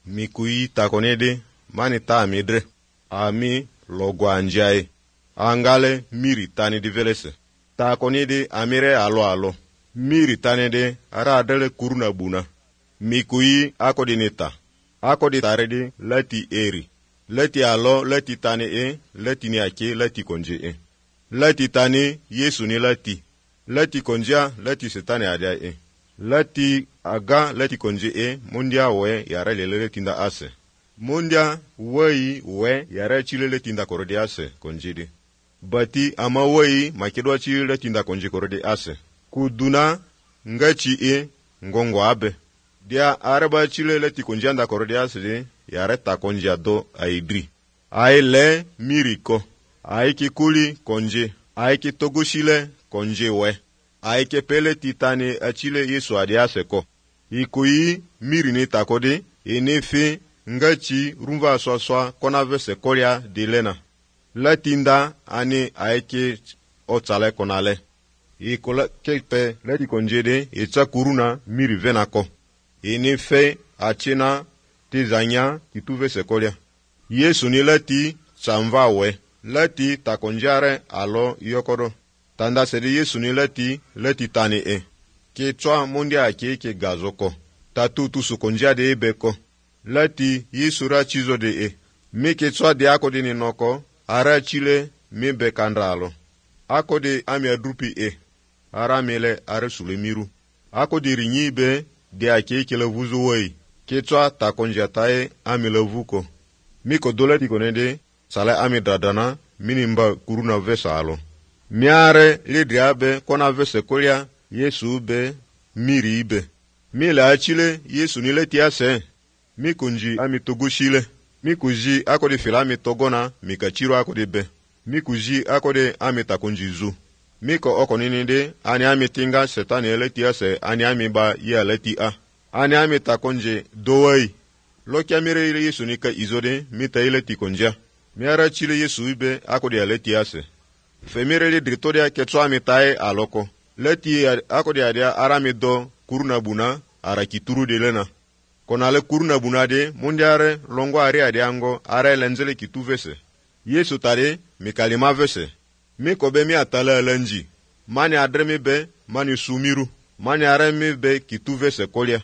mikui takonede mani ta amidre ami logwanjai angale miri tani divelese takonede amire alo miri tanede ara adele kuruna buna mikui akodinita akoditare lati eri lati alo lati tani lati ni ake lati konje lati tani Yesu ni lati konja lati setane adia lati aga lati konje mundia we yara lele tinda ase mundia we yara chilele tinda korode ase konjide bati ama wei makedwa chilele tinda konje korode ase kuduna ngachi ngongo abe dia araba chilele ti konjanda korode ase yara ta konja do aidri aile miriko aiki kuli konje aiki togushile konje we aike pele titane achile Yesu adiase ko ikui miri ni takode enefe ngachi rumva swaswa konave sekolia dilena latinda ani aike otale konale ikola kepe leti konjede echa kuruna miri venako enefe achina tizanya kituve sekolia Yesu ni lati chamva we lati takonjare alo yokodo tanda sedi Yesu ni lati tani ke chwa mundia ke gazoko tatu tusu konjia de beko lati Yesu ra chizo de mi ke chwa de akodi ni noko ara chile mi bekandalo akodi ami adrupi ara mele ara sulemiru akodi rinyi be de ake le vuzo wei ke chwa ta konjia tae ami le vuko mi ko dolati konede sala ami dadana minimba kuruna vesalo miare lidriabe kona vese kolia Yesu be miri ibe mila achile Yesu nile tiase mikunji ami togushile mikuji akode filami togona mikachiro akode be mikuji akode ami takunjizu miko okoninide ani ami tinga setani ele tiase ani ami ba ye leti ani ami takonje dowai lokia mire ile Yesu nika izode mita ile tikonja miara chile Yesu ibe akode ele tiase femire dritoria ketso amitae aloko leti akodi adia arami do kuruna buna ara kituru de lena konale kuruna buna de mundiare longo ari adiango ara lenzele kituvese Yesu tare mikalima vese mikobe mi atala lenji mani adremi be mani sumiru mani aremi be kituvese kolia